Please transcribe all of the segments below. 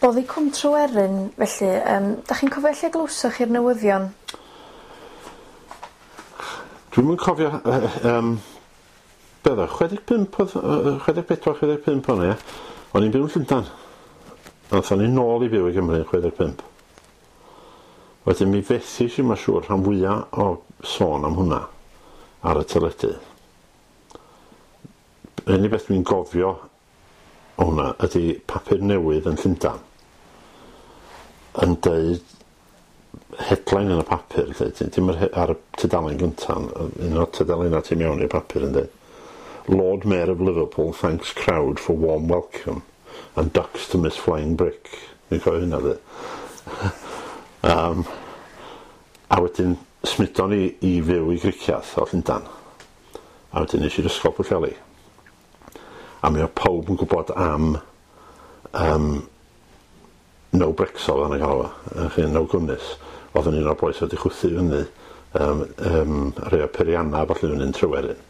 Boddi Cwm Tryweryn felly 'dach chi'n cofio lle glywsoch chi'r newyddion? Dwi'm yn cofio be' o'dd o 65 o'dd 64 65 o'n i ia? O'n i'n byw yn Llundan. Athon ni nôl i fyw i Gymru yn 65. Wedyn mi fethish i ma' siŵr rhan fwya o sôn am hwnna ar y teledu. Yr unig beth dwi'n gofio o hwnna ydi papur newydd yn Llundan yn deud headline yn y papur 'lly dim yr ar y tudalen gynta on' un o'r tudalenna tu mewn i'r papur yn deud Lord Mayor of Liverpool thanks crowd for warm welcome and ducks to miss flying brick. Dwi'n cofio hynna 'de. A wedyn smudon ni i fyw i Gricieth o Llundan. A wedyn nesh i'r ysgol Pwllheli. A mi o'dd pawb yn gwbod am No Brexol o'n i'n galw fo, yy chi No Gwnnus. O'dd yn un o'r bois oedd 'di chwythu fyny rhei o'r peirianna a ballu fyny'n Tryweryn.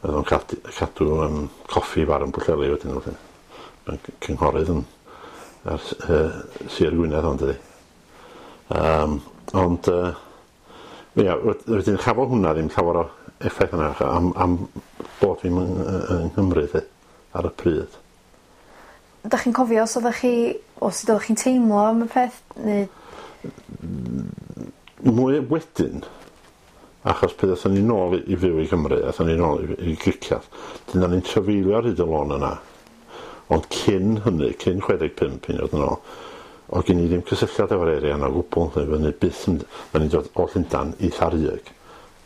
O'dd o'n cadw coffi bar yn Pwllheli wedyn felly. Mae'n cynghorydd yn ar Sir Gwynedd ond dydi. Ond ia wedyn chafodd hwnna ddim llawer o effaith arna am bod fi'm yng Nghymru 'lly ar y pryd. Dach chi'n cofio os oddach chi o sut oddach chi'n teimlo am y peth neu... Mwy wedyn achos pryd athon ni nôl i fyw i Gymru athon ni nôl i Gricieth 'dyn o'n i'n trafeilio ar hyd y lôn yna ond cyn hynny cyn 65 hyd yn oed yn ôl o'dd gen i ddim cysylltiad efo'r area yna o gwbl fyny byth yn o'n i'n dod o Llundan i Llanrug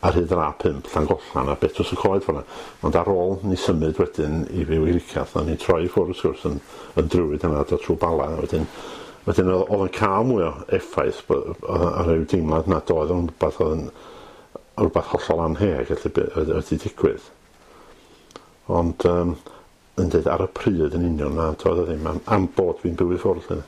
ar hyd yr A5 Llangollan a Betws y Coed ffor 'na ond ar ôl ni symud wedyn i fyw i Gricieth o'n i'n troi i ffwrdd wrth gwrs yn yn Druid yna dod trw Bala a wedyn wedyn o'dd o'n ca'l mwy o effaith o'dd o ryw deimlad nad oedd o'n rwbath o'dd yn rwbath hollol anheg felly be' oedd wedi digwydd. Ond yn deud ar y pryd yn union na doedd o ddim am bod fi'n byw i ffwrdd 'lly.